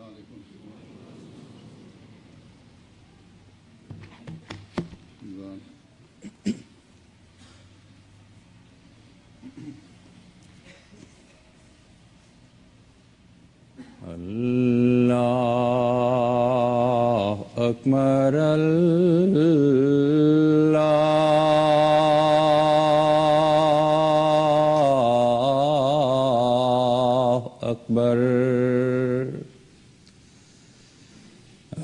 عليڪم. الله أكبر الله أكبر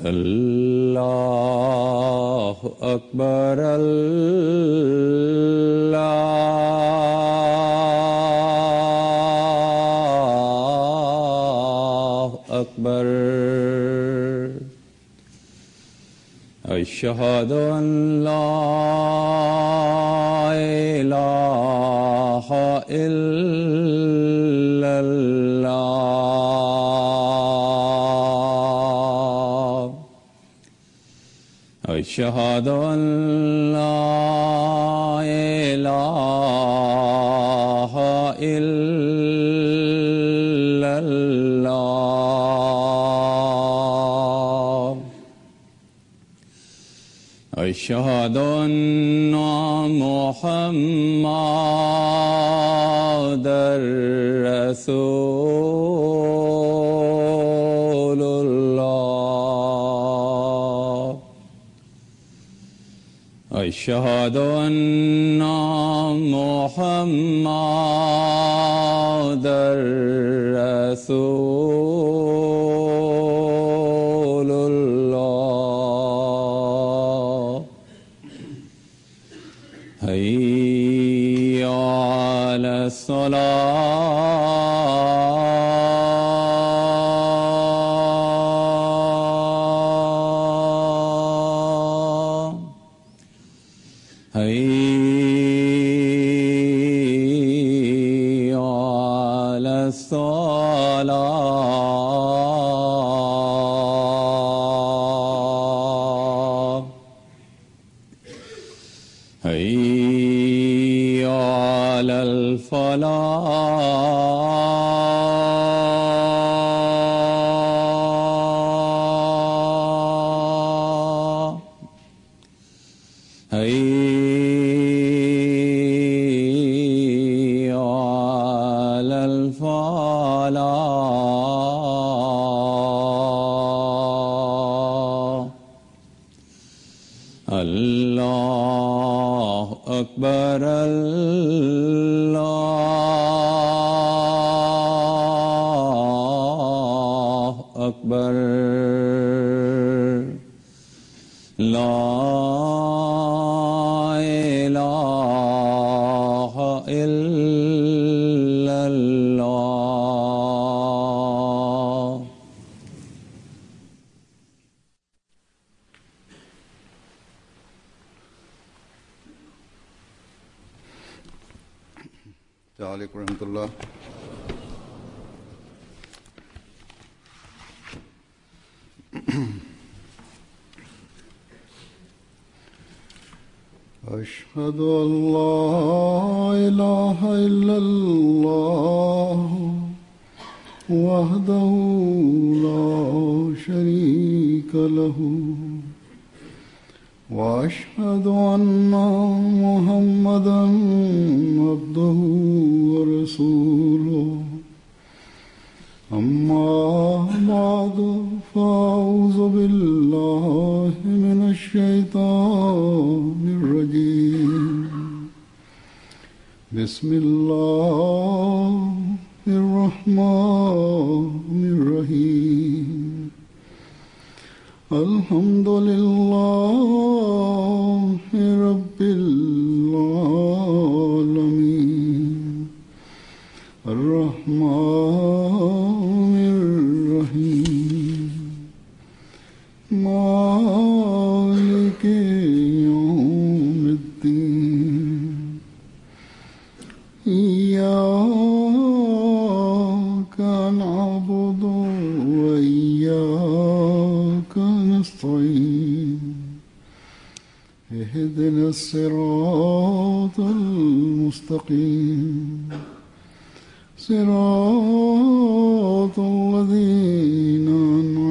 الله أكبر الله أكبر أشهد أن لا إله إلا الله أشهد أن لا إله إلا الله أشهد أن محمدا رسول الله أشهد أن محمدا رسول الله هيا على الصلاة هيا على الصلاة هيا على الفلاح هيا على الفلاح الله أكبر الله أكبر لا إله إلا الله. السلام عليكم ورحمة الله. أشهد أن لا إله إلا الله وحده لا شريك له وأشهد أن محمدا عبده ورسوله. أما بعد فأعوذ بالله من الشيطان الرجيم. بسم الله الرحمن الرحيم. الحمد لله رب العالمين الرحمن الرحيم مالك يوم الدين إياك نعبد وإياك نستعين اهدنا الصراط المستقيم صراط الذين أنعمت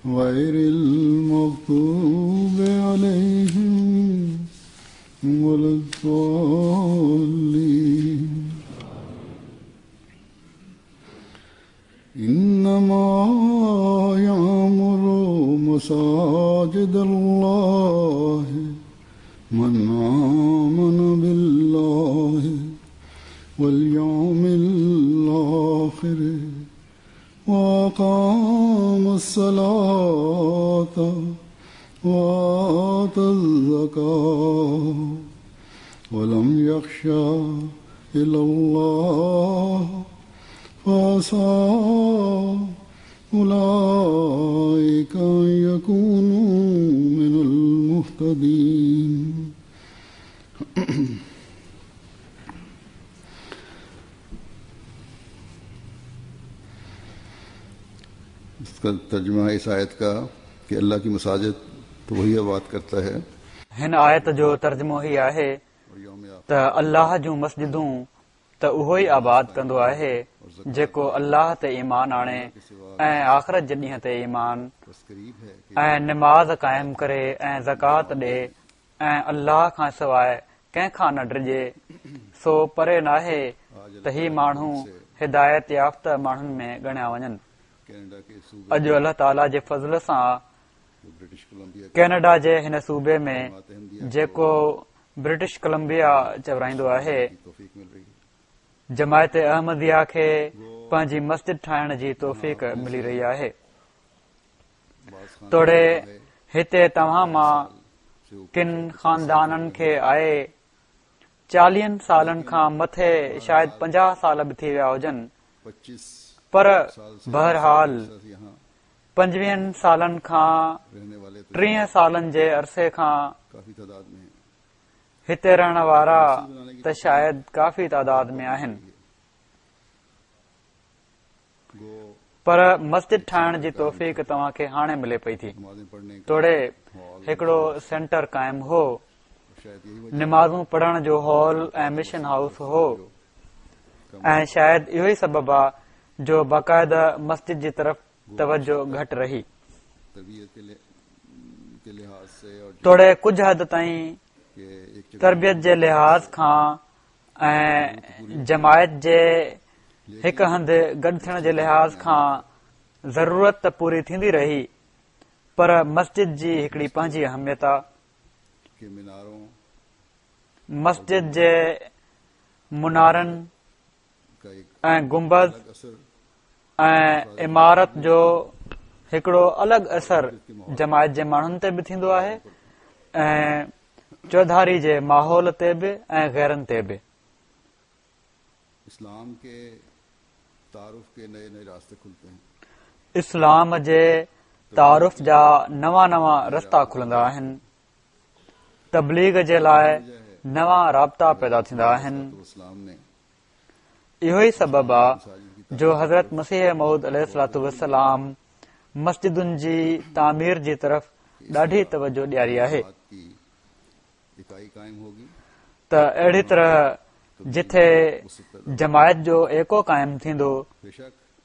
غير المغضوب عليهم ولا الضالين. إنما يعمر مساجد الله من آمن بالله واليوم الآخر وأقام الصلاة وآتى الزكاة ولم يخش إلا الله فعسى أولئك أن يكونوا من المهتدين. اس کا ترجمہ اس آیت کا کہ اللہ کی مساجد تو وہی آباد کرتا ہے. هن آيت جو ترجمو هي آهي ته الله جون مسجدون ته اهو ئي آباد ڪندو آهي جيڪو الله تي ايمان آڻي ۽ آخرت جي ڏينهن تي ايمان ۽ نماز قائم ڪري ۽ زڪوات ڏي ۽ الله کان سواء ڪنهن کان نه ڊڄي، سو پري ناهي ته هي ماڻهو هدايت يافته ماڻهن ۾ ڳڻيا وڃن. اڄ الله تعاليٰ جي فضل سان ڪينيڊا جي هن صوبي ۾ جيڪو برٽش ڪولمبيا چورائيندو آهي، جماعت احمديه کي پنهنجي مسجد ٺاهڻ جي توفيق ملي رهي آهي. توڙي هتي توهان مان ڪن خاندانن کي آئي چاليهن سالن کان مٿي شايد 50 سال به ٿي ويا هجن، پر بهرحال 25 سالن کان 30 سالن جي عرصي کان هتي رهڻ وارا ته شايد ڪافي تعداد ۾ آهن، پر مسجد ٺاهڻ جي توفيق توهان کي هاڻي ملي پئي ٿي. توڙي هڪڙو سينٽر قائم هو، نمازون پڙهڻ جو هال ۽ مشن هائوس هو ۽ شايد اهو ئي سبب آ جو باقاعده مسجد جي طرف توجه گهٽ رهي. توڙي ڪجهه حد تائين تربيت جي لحاظ کان ۽ جماعت جي هڪ هنڌ گڏ ٿيڻ جي لحاظ کان ضرورت ته پوري ٿيندي رهي، پر مسجد جي هڪڙي پنهنجي اهميت آ. مسجد جي منارن ۽ گنبذ ۽ عمارت جو هڪڙو الڳ اثر جماعت جي ماڻهن تي به ٿيندو آهي ۽ چوڌاري جي ماحول تي به ۽ غيرن تي به. اسلام جي تعارف جا نوان نوان رستا کلندا آهن. تبليغ جي لاء نوان رابطا پيدا ٿيندا آهن. اهو ئي سبب آ جو حضرت مسيح موعود عليه الصلوة والسلام مسجدن جي تعمير جي طرف ڏاڍي توجه ڏياري آهي ته اهڙي طرح جٿي جماعت جو ايڪو قائم ٿيندو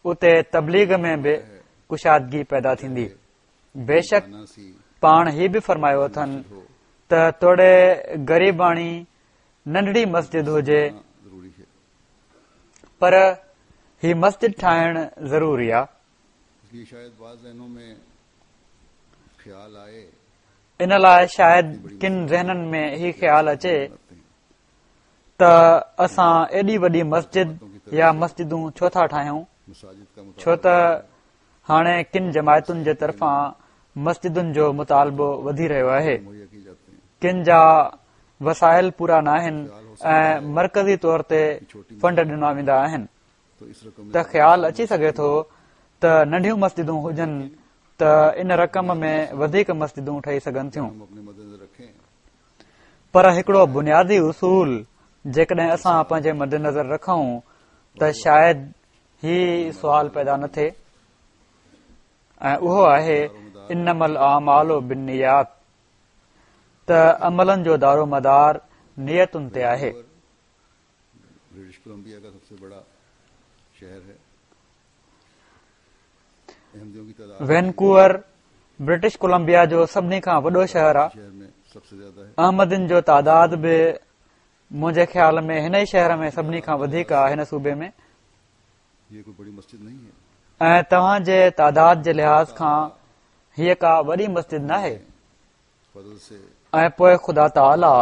اتي تبليغ ۾ به ڪشادگي پيدا ٿيندي. بيشڪ پاڻ هي به فرمايو اٿن ته توڙي غريباڻي ننڍڙي مسجد هجي پر هي مسجد ٺاهڻ ضروري آ. ان لاء شايد ڪن ذهنن ۾ هي خيال اچي ته اسان ايڏي وڏي مسجد يا مسجدون ڇو ٿا ٺاهيون، ڇو ته هاڻي ڪن جماعتن جي طرفان مسجدن جو مطالبو وڌي رهيو آهي، ڪن جا وسائل پورا ناهن ۽ مرڪزي طور تي فنڊ ڏنا ويندا آهن ته خيال اچي سگهي ٿو ته ننڍيون مسجدون هجن ته ان رقم ۾ وڌيڪ مسجدون ٺهي سگهن ٿيون. پر هڪڙو بنيادي اصول جيڪڏهن اسان پنهنجي مدنظر رکون ته شايد هي سوال پيدا نه ٿئي ۽ اهو آهي انما الاعمال بالنيات ته عملن جو دارومدار نيتن تي آهي. وينڪوور برٽش ڪولمبيا جو سڀني کان وڏو شهر آهي. احمدين جو تعداد به منهنجي خيال ۾ هن ئي شهر ۾ سڀني کان وڌيڪ آهي هن صوبي ۾. ۽ توهان جي تعداد جي لحاظ کان هيء ڪا وڏي مسجد ناهي. ۽ پوء خدا تعاليٰ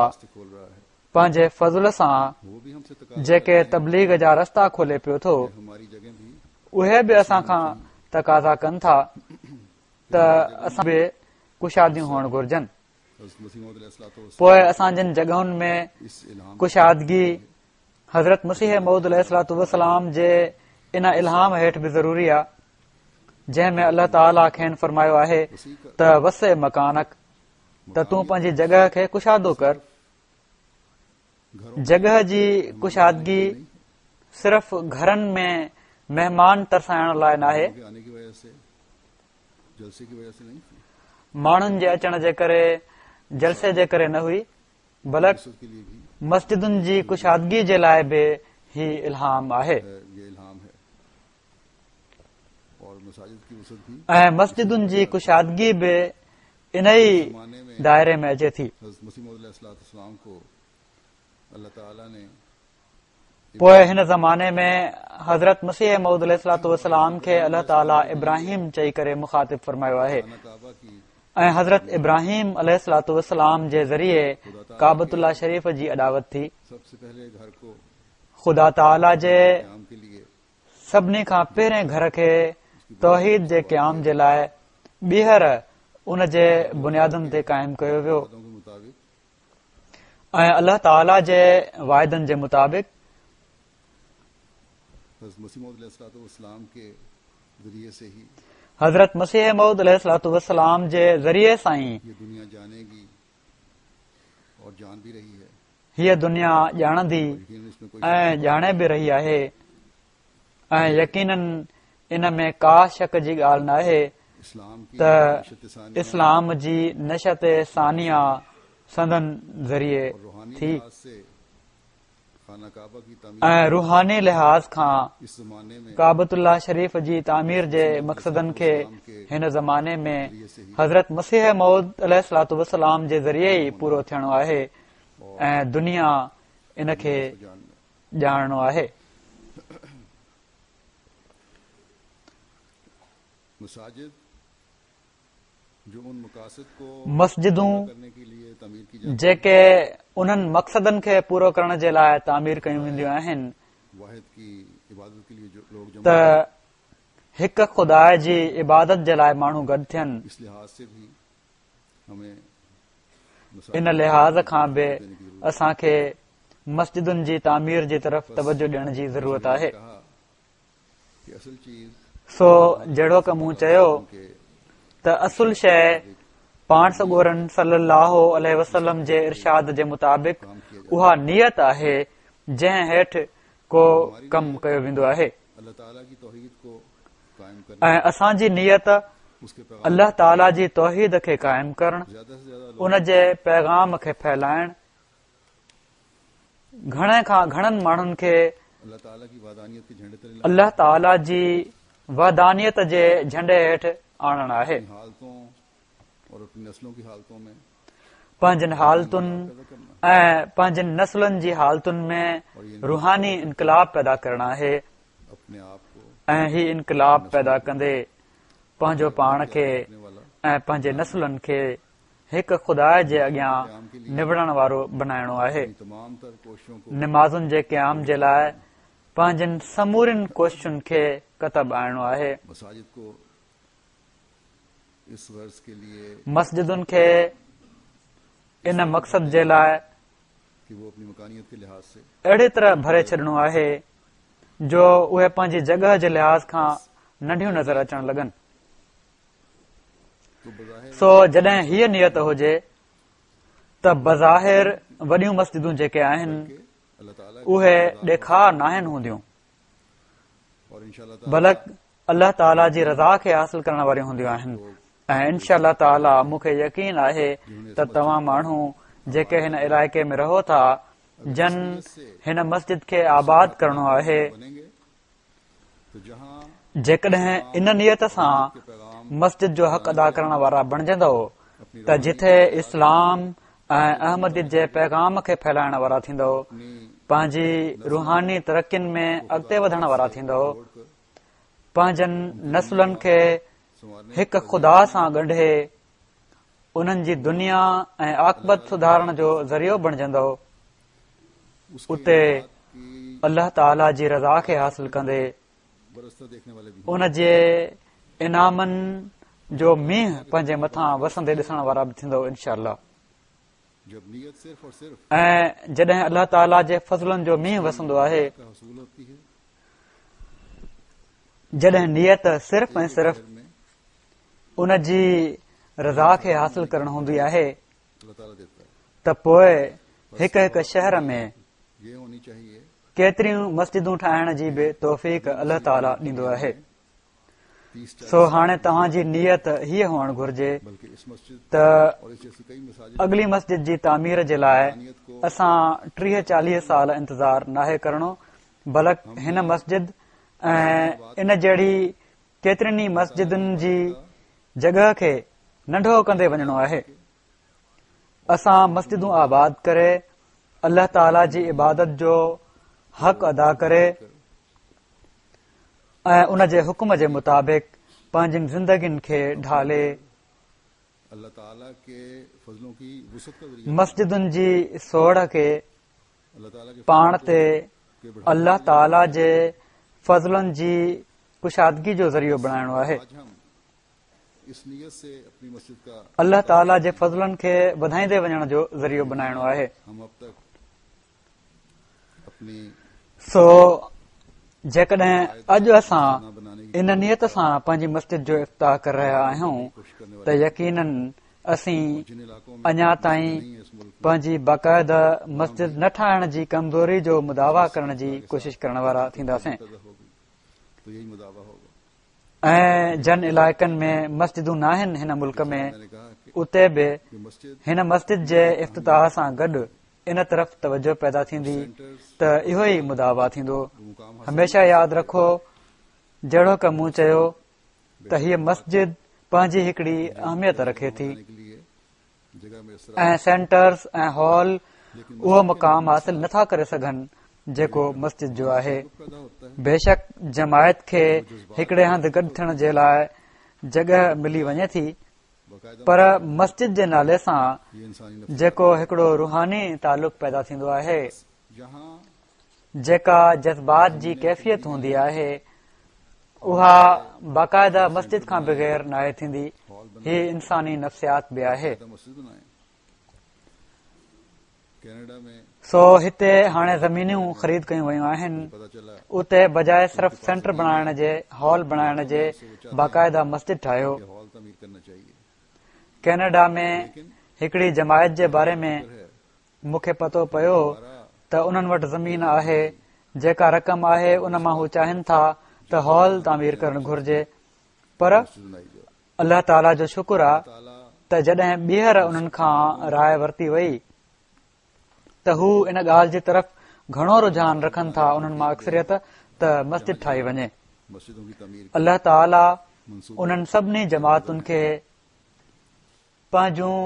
پنهنجي فضل سان جيڪي تبليغ جا رستا کولي پيو ٿو اهي به اسان کان تقاضا ڪن ٿا ته اسان به ڪشاديون هئڻ گهرجن پوء اسان جن جڳهن ۾ ڪشادگي حضرت مسيح موعود عليه الصلوة والسلام جي ان الهام هيٺ به ضروري آ جنهن ۾ الله تعاليٰ کين فرمايو آهي ته وسع مڪانڪ ته تون پنهنجي جڳهه کي ڪشادو ڪر. جڳهه جي ڪشادگي صرف گهرن ۾ مهمان ترسائڻ لاء ناهي. ماڻهن جي اچڻ جي ڪري جلسي جي ڪري نه هئي بلڪ مسجدن جي ڪشادگي جي لاء به هي الهام آهي. ۽ مسجدن جي ڪشادگي به انهي دائري ۾ اچي ٿي. پوء هن زماني ۾ حضرت مسيح موعود عليه الصلوة والسلام کي الله تعاليٰ ابراهيم چئي ڪري مخاطب فرمايو آهي ۽ حضرت ابراهيم عليه الصلوة والسلام جي ذريعي ڪعبة الله شريف جي اڏاوت ٿي. خدا تعاليٰ جي سڀني کان پهرين گهر کي توحيد جي قيام جي لاء ٻيهر ان جي بنيادن تي قائم ڪيو ويو ۽ الله تعالي جي واعدن جي مطابق حضرت مسيح موعود عليه الصلوة والسلام جي ذريعي سان ئي هيء دنيا ڄاڻندي ۽ ڄاڻي به رهي آهي ۽ يقيناً ان ۾ ڪا شڪ جي ڳالهه ناهي ته اسلام جي نشأت ثانيه سندن ذريعي ٿي. ۽ روحاني لحاظ کان ڪعبة الله شريف جي تعمير جي مقصدن کي هن زماني ۾ حضرت مسيح موعود عليه الصلوة والسلام جي ذريعي ئي پورو ٿيڻو آهي ۽ دنيا ان کي ڄاڻڻو آهي. مسجدون جيڪي انهن مقصدن کي پورو ڪرڻ جي لاء تعمير ڪيون وينديون آهن ته هڪ خدا جي عبادت جي لاء ماڻهو گڏ ٿين ان لحاظ کان به اسان کي مسجدن جي تعمير جي طرف توجه ڏيڻ جي ضرورت آهي. سو جهڙوڪ مون چيو ته اصل شيء پاڻ سڳورن صلي الله عليه وسلم جي ارشاد جي مطابق اها نيت آهي جنهن هيٺ ڪو ڪم ڪيو ويندو آهي ۽ اسان جي نيت الله تعالي جي توحيد کي قائم ڪرڻ ان جي پيغام کي ڦهلائڻ گهڻي کان گهڻن ماڻهن کي الله تعالي جي وحدانيت جي جهنڊي هيٺ آڻڻ آهي. پنهنجن حالتن ۽ پنهنجن نسلن جي حالتن ۾ روحاني انقلاب پيدا ڪرڻ آهي ۽ هي انقلاب پيدا ڪندي پنهنجو پاڻ کي ۽ پنهنجي نسلن کي هڪ خدا جي اڳيان نوڙڻ وارو بنائڻو آهي. نمازن جي قيام جي لاء پنهنجين سمورين ڪوششن کي ڪتب آڻڻو آهي. مسجدن کي ان مقصد جي لاء اهڙي طرح ڀري ڇڏڻو آهي جو اهي پنهنجي جڳهه جي لحاظ کان ننڍيون نظر اچڻ لڳن. سو جڏهن هيء نيت هجي ته بظاهر وڏيون مسجدون جيڪي آهن اهي ڏيکاء ناهن هونديون بلڪ الله تعاليٰ جي رضا کي حاصل ڪرڻ واريون هونديون آهن ۽ انشاء الله تعاليٰ مون کي يقين آهي ته توهان ماڻهو جيڪي هن علائقي ۾ رهو ٿا جن هن مسجد کي آباد ڪرڻو آهي جيڪڏهن ان نيت سان مسجد جو حق ادا ڪرڻ وارا بڻجندؤ ته جٿي اسلام ۽ احمديت جي پيغام کي ڦهلائڻ وارا ٿيندؤ، پنهنجي روحاني ترقين ۾ اڳتي وڌڻ وارا ٿيندؤ، پنهنجن نسلن کي هڪ خدا سان ڳنڍي انهن جي دنيا ۽ عاقبت سڌارڻ جو ذريعو بڻجندؤ، اتي الله تعالي جي رضا کي حاصل ڪندي ان جي انعامن جو مينهن پنهنجي مٿان وسندي ڏسڻ وارا به ٿيندؤ انشاء الله ۽ جڏهن الله تعالي جي فضلن جو مينهن وسندو آهي جڏهن نيت صرف ۽ صرف ان جي رضا کي حاصل ڪرڻ هوندي آهي ته پوء هڪ هڪ شهر ۾ ڪيتريون مسجدون ٺاهڻ جي به توفيق الله تعالي ڏيندو آهي. سو هاڻي توهان جي نيت هيء هئڻ گهرجي ته اڳلي مسجد جي تعمير جي لاء اسان 30 40 سال انتظار ناهي ڪرڻو بلڪ هن مسجد ۽ ان جهڙي ڪيترين ئي مسجدن جي جڳهه کي ننڍو ڪندي وڃڻو آهي. اسان مسجدون آباد ڪري الله تعالي جي عبادت جو حق ادا ڪري ۽ ان جي حڪم جي مطابق پنهنجين زندگين کي ڍالي مسجدن جي سوڙ کي پاڻ تي الله تعالي جي فضلن جي ڪشادگي جو ذريعو بڻائڻو آهي. الله تعالي جي فضلن کي وڌائيندي وڃڻ جو ذريعو بنائڻو آهي. سو جيڪڏهن اڄ اسان ان نيت سان پنهنجي مسجد جو افتتاح ڪري رهيا آهيون ته يقينن اسين اڃا تائين پنهنجي باقاعده مسجد نه ٺاهڻ جي ڪمزوري جو مداوا ڪرڻ جي ڪوشش ڪرڻ وارا ٿينداسين. ۽ جن علائقن ۾ مسجدون ناهن هن ملڪ ۾ اتي به هن مسجد جي افتتاح سان گڏ ان طرف توجه پيدا ٿيندي ته اهو ئي مداوا ٿيندو. هميشه ياد رکو جهڙوڪ مون چيو ته هيء مسجد پنهنجي هڪڙي اهميت رکي ٿي. ۽ سينٽرز ۽ هال اهو مقام حاصل نٿا ڪري سگهن جيڪو مسجد جو آهي. بيشڪ جماعت کي هڪڙي هنڌ گڏ ٿيڻ جي لاء جڳهه ملي وڃي ٿي پر مسجد جي نالي سان جيڪو هڪڙو روحاني تعلق پيدا ٿيندو آهي جيڪا جذبات جي ڪيفيت هوندي آهي اها باقاعده مسجد کان بغير ناهي ٿيندي هي انساني نفسيات به آهي سو هتي هاڻي زمينون خريد ڪيون ويون آهن اتي بجاء صرف سينٽر بڻائڻ جي هال بڻائڻ جي باقاعده مسجد ٺاهيو ڪينيڊا ۾ هڪڙي جماعت جي باري ۾ مون کي پتو پيو ته انهن وٽ زمين آهي، جيڪا رقم آهي ان مان هو چاهين ٿا ته هال تعمير ڪرڻ گهرجي پر الله تعاليٰ جو شڪر آ ته جڏهن ٻيهر انهن کان راء ورتي وئي ته هو ان ڳالهه جي طرف گهڻو رجحان رکن ٿا انهن مان اڪثريت ته مسجد ٺاهي وڃي. الله تعاليٰ انهن سڀني جماعتن کي پنهنجون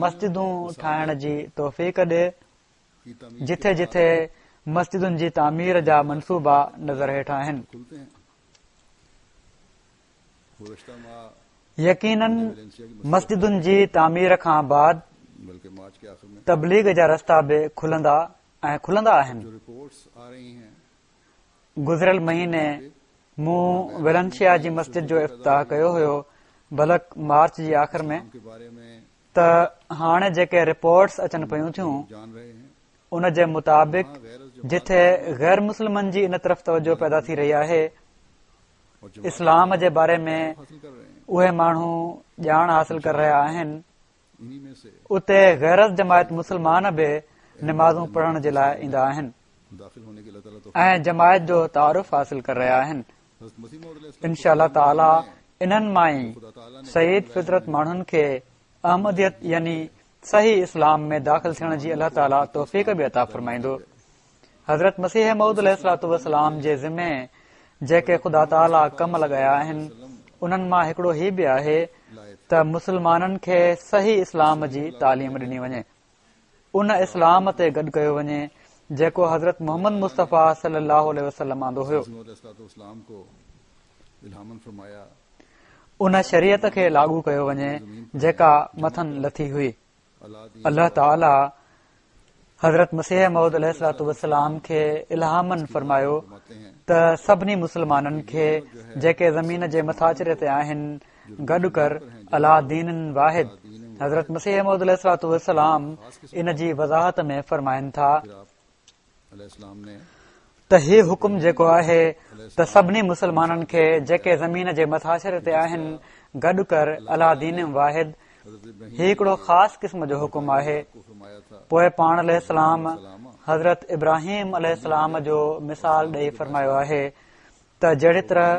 مسجدون ٺاهڻ جي توفيق ڏي، جٿي جٿي مسجدن جي تعمير جا منصوبا نظر هيٺ آهن. يقينن مسجدن جي تعمير کان بعد تبليغ جا رستا به کلندا ۽ کلندا آهن. گذريل مهيني مون ويلنشيا جي مسجد جو افتتاح ڪيو هيو بلڪ مارچ جي آخر ۾ ته هاڻي جيڪي رپورٽس اچن پيون ٿيون ان جي مطابق جٿي غير مسلمن جي ان طرف توجه پيدا ٿي رهي آهي اسلام جي باري ۾ اهي ماڻهو ڄاڻ حاصل ڪري رهيا آهن اتي غير از جماعت مسلمان به نمازون پڙهڻ جي لاء ايندا آهن ۽ جماعت جو تعارف حاصل ڪري رهيا آهن انشاء الله تعالي انهن مان ئي سعيد فطرت ماڻهن کي احمديت يعني صحيح اسلام ۾ داخل ٿيڻ جي الله تعالي توفيق به عطا فرمائيندو حضرت مسيح موعود عليه الصلوة والسلام جي ذمي جيڪي خدا تعالي ڪم لڳايا آهن انهن مان هڪڙو هي به آهي ته مسلمانن کي صحيح اسلام جي تعليم ڏني وڃي، ان اسلام تي گڏ ڪيو وڃي جيڪو حضرت محمد مصطفيٰ صلي الله عليه وسلم آندو هيو. ان شريعت کي لاڳو ڪيو وڃي جيڪا مٿن لٿي هئي. الله تعاليٰ حضرت مسيح موعود عليه الصلوة والسلام کي الهاماً فرمايو ته سڀني مسلمانن کي جيڪي زمين جي مٿاڇري تي آهن گڏ ڪر عليٰ دين واحد حضرت مسيح موعود عليه الصلوة والسلام ان جي وضاحت ۾ فرمائن ٿا ته هي حڪم جيڪو آهي ته سڀني مسلمانن کي جيڪي زمين جي مٿاڇري تي آهن گڏ ڪر عليٰ دين واحد هي هڪڙو خاص قسم جو حڪم آهي. پوء پاڻ عليه السلام حضرت ابراهيم عليه السلام جو مثال ڏئي فرمايو آهي ته جهڙي طرح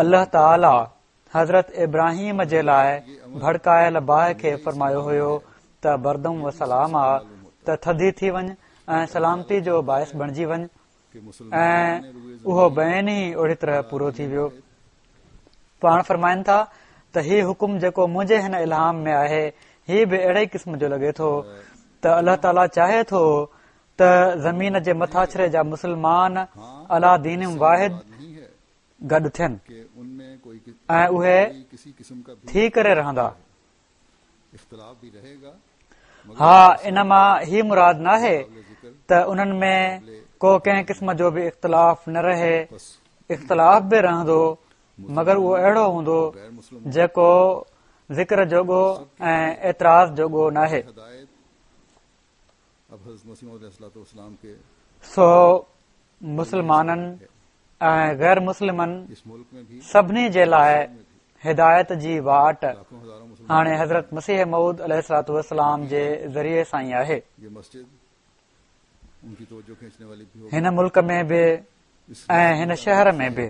الله تعاليٰ حضرت ابراهيم جي لاء ڀڙڪايل باهه کي فرمايو هيو ته بردا و سلاما ته ٿڌي ٿي وڃ ۽ سلامتي جو باعث بڻجي وڃ ۽ اهو بعينه ئي اهڙي طرح پورو ٿي ويو. پاڻ فرمائن ٿا ته هي حڪم جيڪو منهنجي هن الهام ۾ آهي هي به اهڙي ئي قسم جو لڳي ٿو ته الله تعاليٰ چاهي ٿو ته زمين جي مٿاڇري جا مسلمان عليٰ دين واحد گڏ ٿين ۽ اهي ٿي ڪري رهندا. ها ان مان هي مراد ناهي ته انهن ۾ ڪو ڪنهن قسم جو به اختلاف نه رهي، اختلاف به رهندو مگر اهو اهڙو هوندو جيڪو ذڪر جوڳو ۽ اعتراض جوڳو ناهي. سو مسلمانن ۽ غير مسلمن سڀني جي لاء هدايت جي واٽ هاڻي حضرت مسيح موعود عليه الصلوة والسلام جي ذريعي سان ئي آهي. هن ملڪ ۾ به ۽ هن شهر ۾ به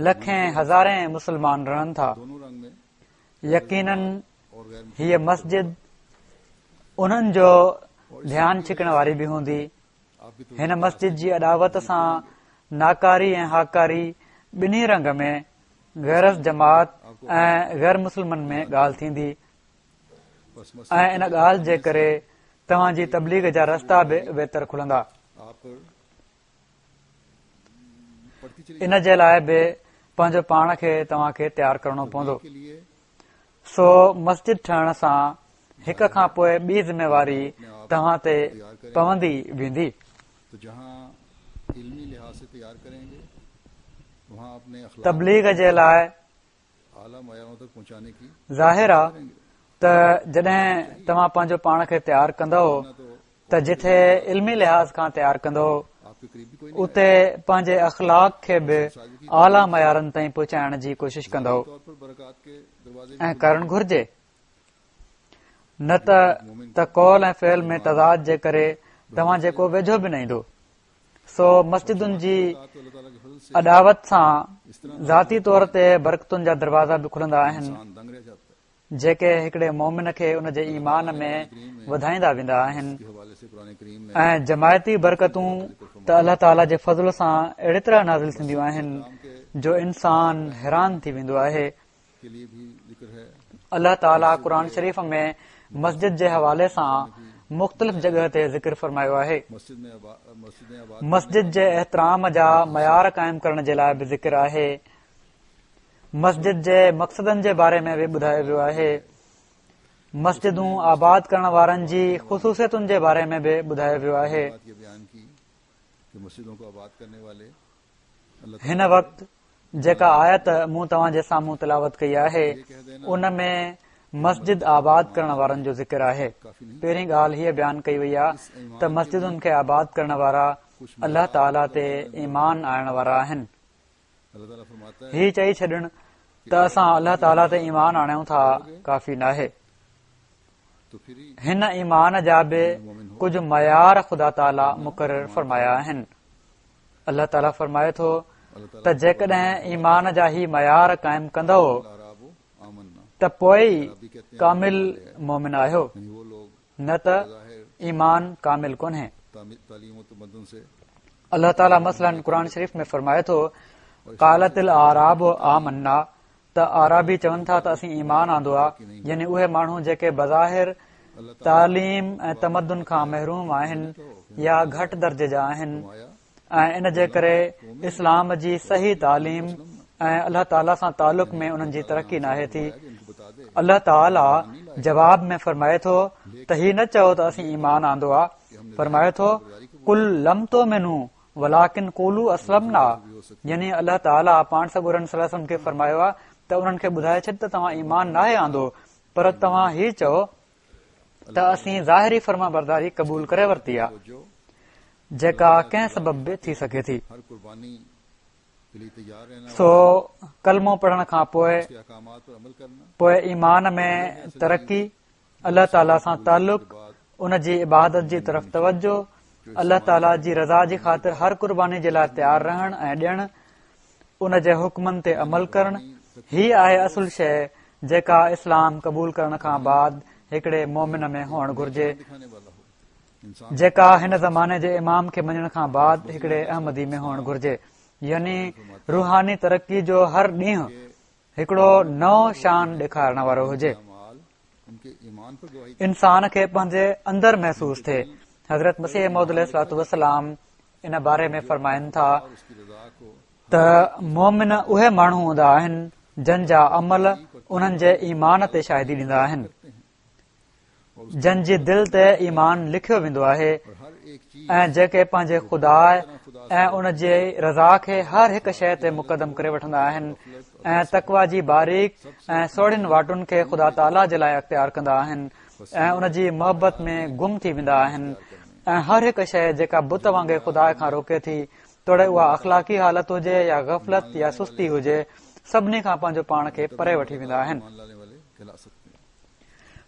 لکين هزارين مسلمان رهن ٿا. يقينن هيء مسجد انهن جو ڌيان ڇڪڻ واري به هوندي. هن مسجد جي اڏاوت سان ناڪاري ۽ هاڪاري ٻنهي رنگ ۾ غير از جماعت ۽ غير مسلمن ۾ ڳالهه ٿيندي ۽ ان ڳالهه جي ڪري توهان جي تبليغ جا رستا به ويتر کلندا. ان جي لاء به پنهنجو پاڻ کي توهان کي تيار ڪرڻو پوندو. سو مسجد ٺهڻ سان هڪ کان پوء ٻي ذميواري توهان تي پوندي ويندي. تبليغ جي لاء ظاهر آ ته جڏهن توهان پنهنجو پاڻ کي تيار ڪندؤ ته جٿي علمي لحاظ کان تيار ڪندؤ اتي پنهنجي اخلاق کي به اعليٰ معيارن تائين پهچائڻ جي ڪوشش ڪندؤ ۽ ڪرڻ گهرجي نه ته قول ۽ فعل ۾ تضاد جي ڪري توهان جي ڪو ويجهو به نه ايندو. سو مسجدن جي اڏاوت سان ذاتي طور تي برڪتن جا دروازا به کلندا آهن جيڪي هڪڙي مومن کي ان جي ايمان ۾ وڌائيندا ويندا آهن ۽ جماعتي برڪتون ته الله تعالي جي فضل سان اهڙي طرح نازل ٿينديون آهن جو انسان حيران ٿي ويندو آهي الله تعاليٰ قرآن شريف ۾ مسجد جي حوالي سان مختلف جڳهه تي ذڪر فرمايو آهي. مسجد جي احترام جا معيار قائم ڪرڻ جي لاء به ذڪر آهي. مسجد جي مقصدن جي باري ۾ به ٻڌايو ويو آهي. مسجدون آباد ڪرڻ وارن جي خصوصيتن جي باري ۾ به ٻڌايو ويو آهي. هن وقت جيڪا آيت مون توهان جي سامهون تلاوت ڪئي آهي ان ۾ مسجد آباد ڪرڻ وارن جو ذڪر آهي. پهرين ڳالهه هيء بيان ڪئي وئي آهي ته مسجدن کي آباد ڪرڻ وارا الله تعاليٰ تي ايمان آڻڻ وارا آهن. هي چئي ڇڏڻ ته اسان الله تعاليٰ تي ايمان آڻيون ٿا ڪافي ناهي. هن ايمان جا به ڪجهه معيار خدا تعاليٰ مقرر فرمايا آهن. الله تعاليٰ فرمائي ٿو ته جيڪڏهن ايمان جا هي معيار قائم ڪندؤ ته پوء ئي ڪامل مومن آهيو نه ته ايمان ڪامل ڪونهي. الله تعاليٰ مثلاً قرآن شريف ۾ فرمائي ٿو قالت الاعراب آمنا. ته اعرابي چون ٿا ته اسين ايمان آندو آ، يعني اهي ماڻهو جيڪي بظاهر تعليم ۽ تمدن کان محروم آهن يا گهٽ درجي جا آهن ۽ ان جي ڪري اسلام جي صحيح تعليم ۽ الله تعاليٰ سان تعلق ۾ انهن جي ترقي ناهي ٿي. الله تعاليٰ جواب ۾ فرمائي ٿو ته هي نه چئو ته اسين ايمان آندو آ، فرمائي ٿو قل لم تؤمنوا ولڪن قولوا اسلمنا يعني الله تعاليٰ پاڻ سڳورن صلي الله عليه وسلم کي فرمايو آ ته انهن کي ٻڌائي ڇڏ ته توهان ايمان ناهي آندو پر توهان هي چئو ته اسين ظاهري فرمانبرداري قبول ڪري ورتي آ جيڪا ڪنهن سبب به ٿي سگهي ٿي. سو ڪلمو پڙهڻ کان پوء پوء ايمان ۾ ترقي، الله تعاليٰ سان تعلق، ان جي عبادت جي طرف توجه، الله تعاليٰ جي رضا جي خاطر هر قرباني جي لاء تيار رهڻ ۽ ڏيڻ، ان جي حڪمن تي عمل ڪرڻ، هي آهي اصل شيء جيڪا اسلام قبول ڪرڻ کان بعد هڪڙي مومن ۾ هئڻ گهرجي. جيڪا هن زماني جي امام کي مڃڻ کان بعد هڪڙي احمدي ۾ هئڻ گهرجي يعني روحاني ترقي جو هر ڏينهن هڪڙو نئون شان ڏيکارڻ وارو هجي انسان کي پنهنجي اندر محسوس ٿئي حضرت مسيح موعود عليه الصلوة والسلام ان باري ۾ فرمائن ٿا ته مومن اهي ماڻهو هوندا آهن جن جا عمل انهن جي ايمان تي شاهدي ڏيندا آهن جن جي دل تي ايمان لکيو ويندو آهي ۽ جيڪي پنهنجي خدا ۽ ان جي رضا کي هر هڪ شيء تي مقدم ڪري وٺندا آهن ۽ تقويٰ جي باريڪ ۽ سوڙهين واٽن کي خدا تعاليٰ جي لاء اختيار ڪندا آهن ۽ ان جي محبت ۾ گم ٿي ويندا آهن ۽ هر هڪ شيء جيڪا بت وانگي خدا کان روڪي ٿي توڙي اها اخلاقي حالت هجي يا غفلت يا سستي هجي سڀني کان پنهنجو پاڻ کي پري وٺي ويندا آهن.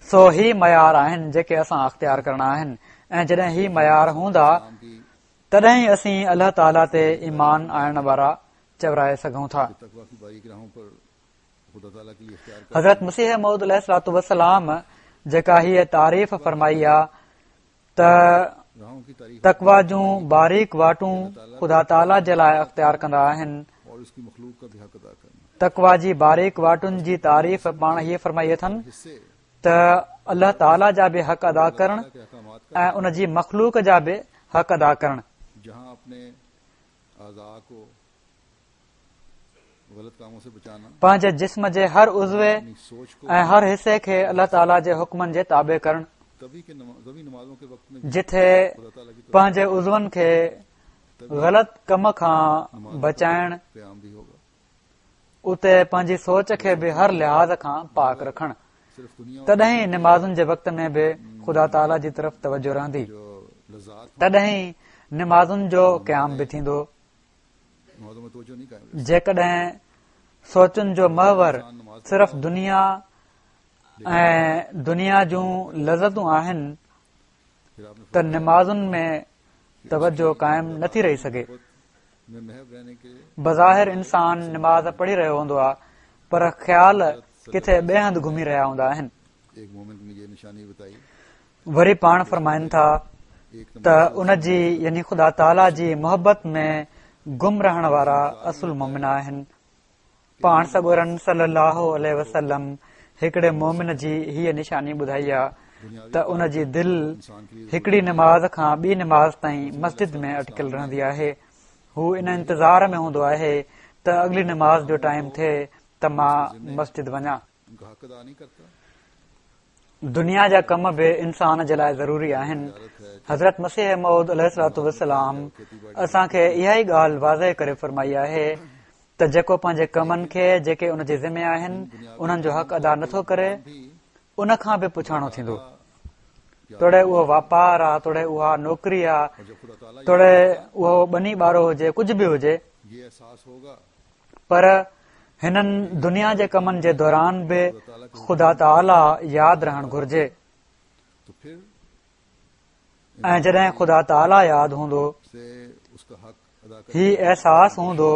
سو هي معيار آهن جيڪي اسان اختيار ڪرڻا آهن ۽ جڏهن هي معيار هوندا تڏهن ئي اسين الله تعاليٰ تي ايمان آڻڻ وارا چورائي سگهون ٿا. حضرت مسيح موعود عليه الصلوة والسلام جيڪا هيء تعريف فرمائي آ ته تقويٰ جون باريڪ واٽون خدا تعاليٰ جي لاء اختيار ڪندا آهن. تقويٰ جي باريڪ واٽن جي تعريف پاڻ هيء فرمائي اٿن ته الله تعاليٰ جا به حق ادا ڪرڻ ۽ ان جي مخلوق جا به حق ادا ڪرڻ. پنهنجي جسم جي هر عضوي ۽ هر حصي کي الله تعاليٰ جي حڪمن جي تابع ڪرڻ، جٿي پنهنجي عضون کي غلط ڪم کان بچائڻ، اتي پنهنجي سوچ کي به هر لحاظ کان پاڪ رکڻ، تڏهن ئي نمازن جي وقت ۾ به خدا تعاليٰ جي طرف توجه رهندي، تڏهن ئي نمازن جو قيام به ٿيندو. جيڪڏهن سوچن جو محور صرف دنيا ۽ دنيا جون لذتون آهن ته نمازن ۾ توجه قائم نٿي رهي سگهي. بظاهر انسان نماز پڙهي رهيو هوندو آهي پر خيال ڪٿي ٻئي هنڌ گهمي رهيا هوندا آهن. وري پاڻ فرمائن ٿا ته ان جي يعني خدا تعاليٰ جي محبت ۾ گم رهڻ وارا اصل مومن آهن. پاڻ سڳورن صلي الله عليه وسلم هڪڙي مومن جي هيء نشاني ٻڌائي آ ته ان جي دل هڪڙي نماز کان ٻي نماز تائين مسجد ۾ اٽڪيل رهندي آهي. هو ان انتظار ۾ هوندو آهي ته اڳلي نماز جو ٽائيم ٿئي ته مان مسجد وڃان. دنيا جا ڪم به انسان جي لاء ضروري آهن. حضرت مسيح موعود عليه الصلوة والسلام اسان کي اها ئي ڳالهه واضح ڪري فرمائي آهي ته جيڪو پنهنجي ڪمن کي جيڪي ان جي ذمي آهن انهن جو حق ادا نٿو ڪري ان کان به پڇاڻو ٿيندو توڙي اهو واپار آ توڙي اها نوڪري آ توڙي اهو ٻني ٻارو هجي ڪجهه به هجي پر هنن دنيا جي ڪمن جي دوران به خدا تعاليٰ ياد رهڻ گهرجي ۽ جڏهن خدا تعاليٰ ياد هوندو هي احساس هوندو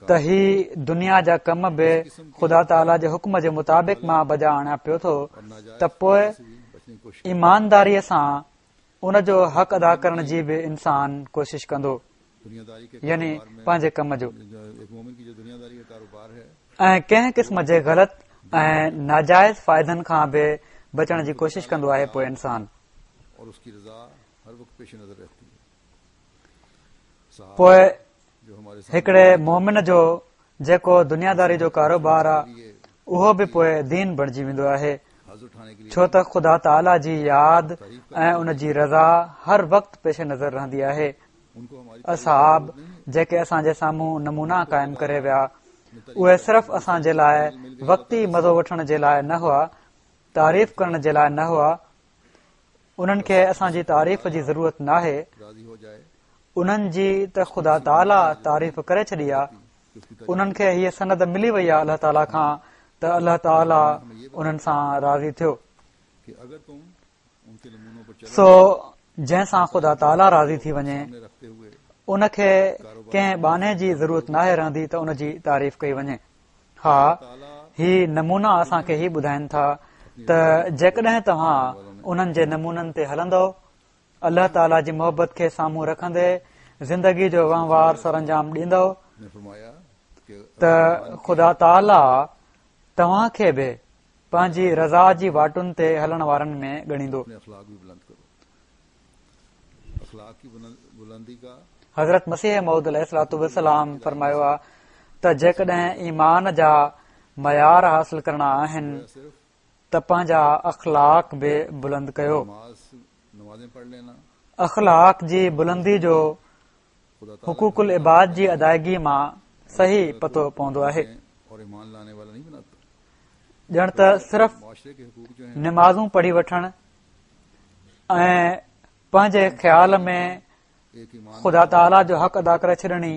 ته هي دنيا جا ڪم به خدا تعاليٰ جي حڪم جي مطابق مان بجا آڻيان پيو ٿو ته پوء ايمانداريء سان ان جو حق ادا ڪرڻ جي به انسان ڪوشش ڪندو يعني پنهنجي ڪم جو. ۽ ڪنهن قسم جي غلط ۽ ناجائز فائدن کان به بچڻ جي ڪوشش ڪندو آهي پوء انسان پوء هڪڙي مومن جو جيڪو دنياداري جو ڪاروبار آ اهو به پوء دين بڻجي ويندو آهي ڇو ته خدا تعاليٰ جي ياد ۽ ان جي رضا هر وقت پيش نظر رهندي آهي اصحاب جيڪي اسان جي سامهون نمونا قائم ڪري ويا اهي صرف اسان جي لاء وقتي مزو وٺڻ جي لاء نه هئا تعريف ڪرڻ جي لاء نه هئا انهن کي اسان جي تعريف جي ضرورت ناهي انهن جي ته خدا تعاليٰ تعريف ڪري ڇڏي آ انهن کي هيء سند ملي وئي آ الله تعاليٰ کان ته الله تعاليٰ انهن سان راضي ٿيو سو جنهن سان خدا تعاليٰ راضي ٿي وڃي ان کي ڪنهن ٻانهي جي ضرورت ناهي رهندي ته ان جي تعريف ڪئي وڃي ها هي نمونا اسان کي هي ٻڌائن ٿا ته جيڪڏهن توهان انهن جي نمونن تي هلندؤ الله تعاليٰ جي محبت کي سامهون رکندي زندگي جو وهنوار سرانجام ڏيندؤ ته خدا تعاليٰ توهان کي به پنهنجي رضا جي واٽن تي هلڻ وارن ۾ ڳڻيندو. حضرت مسيح موعود عليه الصلوة والسلام فرمايو آ ته جيڪڏهن ايمان جا معيار حاصل ڪرڻا آهن ته پنهنجا اخلاق به بلند ڪيو. اخلاق جي بلندي جو حقوق العباد جي ادائگي مان صحيح پتو پوندو آهي. ڄڻ ته صرف نمازون پڙهي وٺڻ ۽ پنهنجي خيال ۾ خدا تعاليٰ جو حق ادا ڪري ڇڏڻ ئي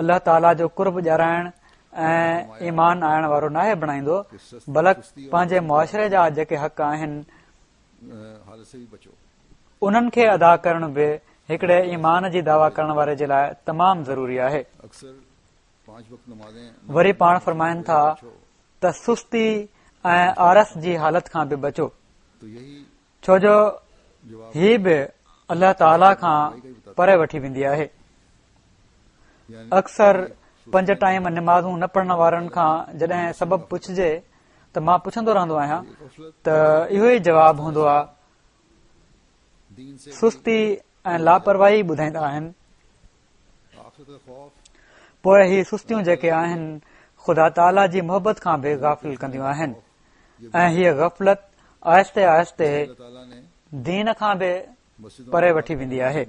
الله تعاليٰ جو قرب ڏيارائڻ ۽ ايمان آڻڻ وارو ناهي بڻائيندو بلڪ پنهنجي معاشري جا جيڪي حق آهن انهن کي ادا ڪرڻ به هڪڙي ايمان جي دعويٰ ڪرڻ واري جي لاء تمام ضروري آهي. وري پاڻ فرمائن ٿا ته سستي ۽ آرس جي حالت کان به بچو ڇو جو هي به الله تعاليٰ کان پري وٺي ويندي آهي اڪثر پنج ٽائيم نمازون نه پڙهڻ وارن کان جڏهن سبب پڇجي ته مان پڇندو رهندو آهيان ته اهو ئي جواب هوندو آهي سستي ۽ لاپرواهي ٻڌائيندا آهن پوء هي سستيون جيڪي آهن خدا تعاليٰ جي محبت کان به غافل ڪنديون آهن ۽ هيء غفلت آهستي آهستي دين کان به پري وٺي ويندي آهي.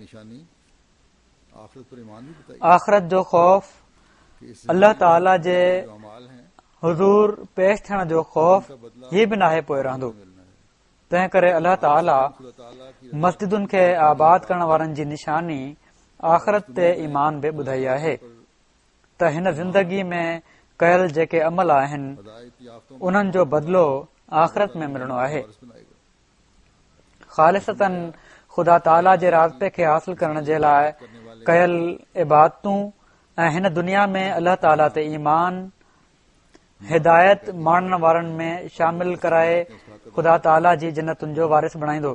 آخرت جو خوف الله تعاليٰ جي حضور پيش ٿيڻ جو خوف هي به ناهي پوء رهندو. تنهن ڪري الله تعاليٰ مسجدن کي آباد ڪرڻ وارن جي نشاني آخرت تي ايمان به ٻڌائي آهي ته هن زندگي ۾ ڪيل جيڪي عمل آهن انهن جو بدلو آخرت ۾ ملڻو آهي. خالصتاً خدا تعاليٰ جي راضپي کي حاصل ڪرڻ جي لاء ڪيل عبادتون ۽ هن دنيا ۾ الله تعاليٰ تي ايمان هدايت ماڻڻ وارن ۾ شامل ڪرائي خدا تعاليٰ جي جنتن جو وارث بڻائيندو.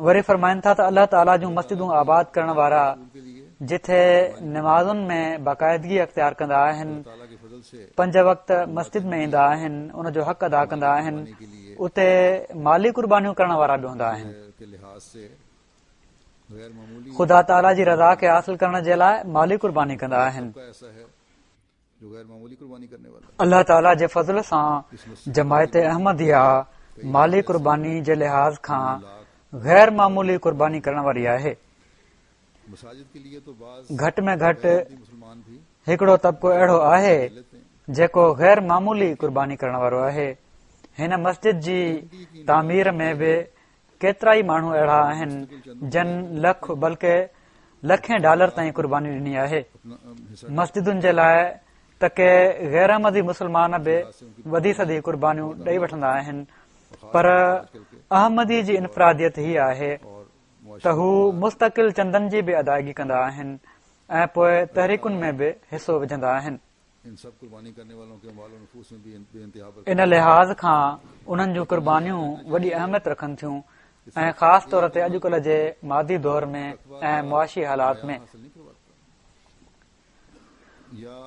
وري فرمائن ٿا ته الله تعاليٰ جون مسجدون آباد ڪرڻ وارا جٿي نمازن ۾ باقاعدگي اختيار ڪندا آهن، پنج وقت مسجد ۾ ايندا آهن، ان جو حق ادا ڪندا آهن، اتي مالي قربانيون ڪرڻ وارا به هوندا آهن. خدا تعاليٰ جي رضا کي حاصل ڪرڻ جي لاء مالي قرباني ڪندا آهن. الله تعاليٰ جي فضل سان جماعت احمديه مالي قرباني جي لحاظ کان غير معمولي قرباني ڪرڻ واري آهي. گهٽ ۾ گهٽ هڪڙو طبقو اهڙو آهي جيڪو غير معمولي قرباني ڪرڻ وارو آهي. هن مسجد جي تعمير ۾ به ڪيترائي ماڻهو اهڙا آهن جن لک بلڪه لکين ڊالر تائين قرباني ڏني آهي. مسجدن جي لاء ته ڪي غير احمدي مسلمان به وڌي سڌي قربانيون ڏئي وٺندا آهن پر احمدي جي انفراديت هي آهي ته هو مستقل چندن جي به ادائگي ڪندا آهن ۽ پوء تحريڪن ۾ به حصو وجهندا آهن. ان لحاظ کان انهن جون قربانيون وڏي اهميت رکن ٿيون ۽ خاص طور تي اڄڪلهه جي مادي دور ۾ ۽ معاشي حالات ۾.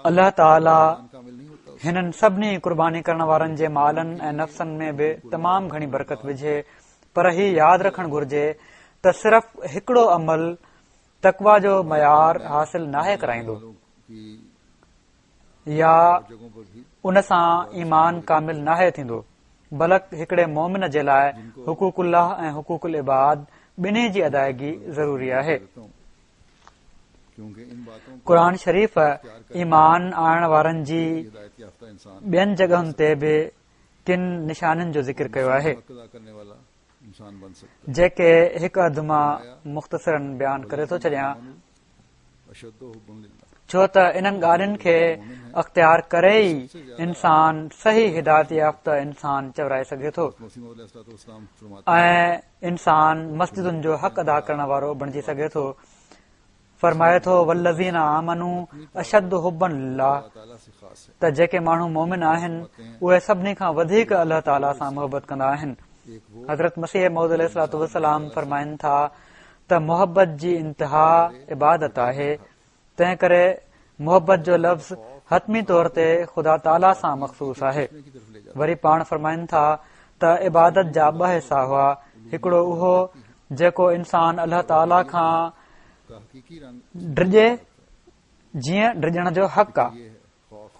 الله تعاليٰ هنن سڀني قرباني ڪرڻ وارن جي مالن ۽ نفسن ۾ به تمام گهڻي برڪت وجهي پر هي ياد رکڻ گهرجي ته صرف هڪڙو عمل تقويٰ جو معيار حاصل ناهي ڪرائيندو يا ان سان ايمان ڪامل ناهي ٿيندو بلڪ هڪڙي مومن جي لاء حقوق الله ۽ حقوق العباد ٻنهي جي ادائگي ضروري آهي. قرآن شريف ايمان آڻڻ وارن جي ٻين جڳهن تي به ڪن نشانين جو ذڪر ڪيو آهي جيڪي هڪ اڌ مان مختصراً بيان ڪري ٿو ڇڏيان ڇو ته انهن ڳالهين کي اختيار ڪري ئي انسان صحيح هدايت يافته انسان چورائي سگهي ٿو ۽ انسان مسجدن جو حق ادا ڪرڻ وارو بڻجي سگهي ٿو. فرمائي ٿو والذين آمنوا اشد حبا لله ته جيڪي ماڻهو مومن آهن اهي سڀني کان وڌيڪ الله تعاليٰ سان محبت ڪندا آهن. حضرت مسيح موعود عليه الصلوة والسلام فرمائن ٿا ته محبت جي انتها عبادت آهي تنهن ڪري محبت جو لفظ حتمي طور تي خدا تعاليٰ سان مخصوص آهي. وري پاڻ فرمائن ٿا ته عبادت جا ٻه حصا هئا، هڪڙو اهو جيڪو انسان الله تعاليٰ کان ڊڄي جيئن ڊڄڻ جو حق آ.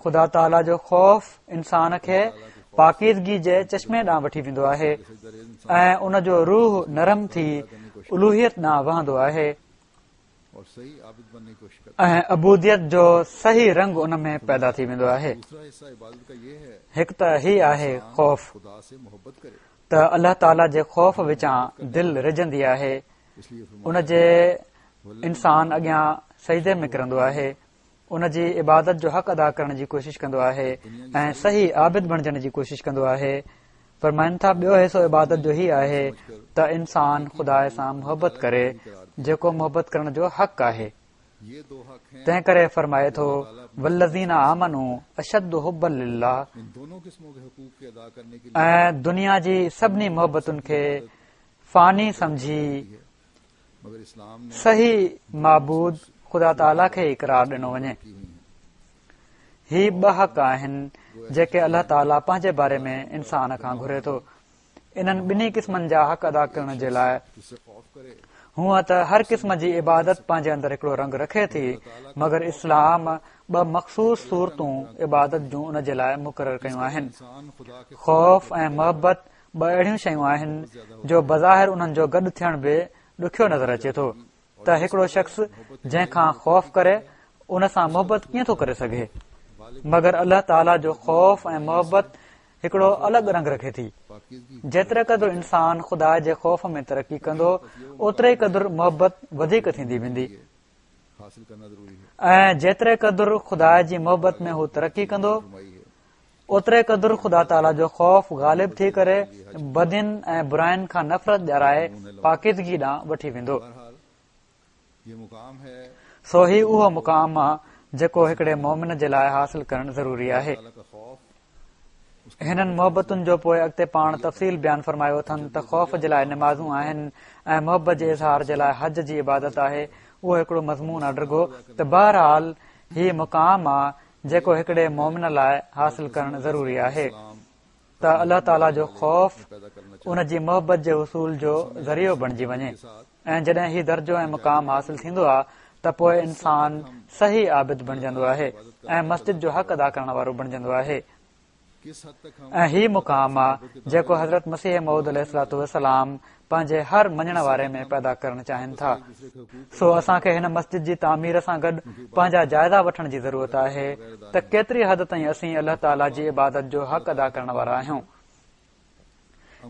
خدا تعاليٰ جو خوف انسان کي پاڪيزگي جي چشمي ڏانهن وٺي ويندو آهي ۽ ان جو روح نرم ٿي الوهيت ڏانهن وهندو آهي. ۽ عبوديت جو صحيح رنگ ان ۾ پيدا ٿي ويندو آهي. هڪ ته هي آهي خوف ته الله تعاليٰ جي خوف وچان دل رجندي آهي، ان جي انسان اڳيان سجدي ۾ ڪرندو آهي، ان جي عبادت جو حق ادا ڪرڻ جي ڪوشش ڪندو آهي ۽ صحيح عابد بڻجڻ جي ڪوشش ڪندو آهي. فرمائن ٿا ٻيو حصو عبادت جو هي آهي ته انسان خدا سان محبت ڪري جيڪو محبت ڪرڻ جو حق آهي. تنهن ڪري فرمائي ٿو والذين آمنوا اشد حبا لله ۽ دنيا جي سڀني محبتن کي فاني سمجهي صحيح معبود خدا تعاليٰ کي ئي قرار ڏنو وڃي. هي ٻه حق آهن جيڪي الله تعاليٰ پنهنجي باري ۾ انسان کان گهري ٿو. انهن ٻنهي قسمن جا حق ادا ڪرڻ جي لاء هونء ته هر قسم جي عبادت پنهنجي اندر هڪڙو رنگ رکي ٿي مگر اسلام ٻه مخصوص صورتون عبادت جون ان جي لاء مقرر ڪيون آهن. خوف ۽ محبت ٻه اهڙيون شيون آهن جو بظاهر انهن جو گڏ ٿيڻ به ڏکيو نظر اچي ٿو ته هڪڙو شخص جنهن کان خوف ڪري ان سان محبت ڪيئن ٿو ڪري سگهي مگر الله تعاليٰ جو خوف ۽ محبت هڪڙو الڳ رنگ رکي ٿي جيتري قدر انسان خدا جي خوف ۾ ترقي ڪندو اوتري قدر محبت وڌيڪ ٿيندي ويندي ۽ جيتري قدر خدا جي محبت ۾ هو ترقي ڪندو اوتري قدر خدا تعاليٰ جو خوف غالب ٿي ڪري بدين ۽ براين کان نفرت ڏيارائي پاڪيزگي ڏانهن وٺي ويندو. سو هي اهو مقام آ جيڪو هڪڙي مؤمن جي لاء حاصل ڪرڻ ضروري آهي. هنن محبتن جو پوء اڳتي پاڻ تفصيل بيان فرمايو اٿن ته خوف جي لاء نمازون آهن ۽ محبت جي اظهار جي لاء حج جي عبادت آهي اهو هڪڙو مضمون آ ڊگهو ته بهرحال هي مقام آ جيڪو هڪڙي مؤمن لاء حاصل ڪرڻ ضروري آهي ته الله تعاليٰ جو خوف ان جي محبت جي حصول جو ذريعو بڻجي وڃي ۽ جڏهن هي درجو ۽ مقام حاصل ٿيندو آهي ته پوء انسان صحيح عابد بڻجندو آهي ۽ مسجد جو حق ادا ڪرڻ وارو بڻجندو آهي. ۽ هي مقام آ جيڪو حضرت مسيح موعود عليه الصلوة والسلام پنهنجي هر مڃڻ واري ۾ پيدا ڪرڻ چاهين ٿا. سو اسان کي هن مسجد جي تعمير سان گڏ پنهنجا جائزا وٺڻ جي ضرورت آهي ته ڪيتري حد تائين اسين الله تعاليٰ جي عبادت جو حق ادا ڪرڻ وارا آهيون.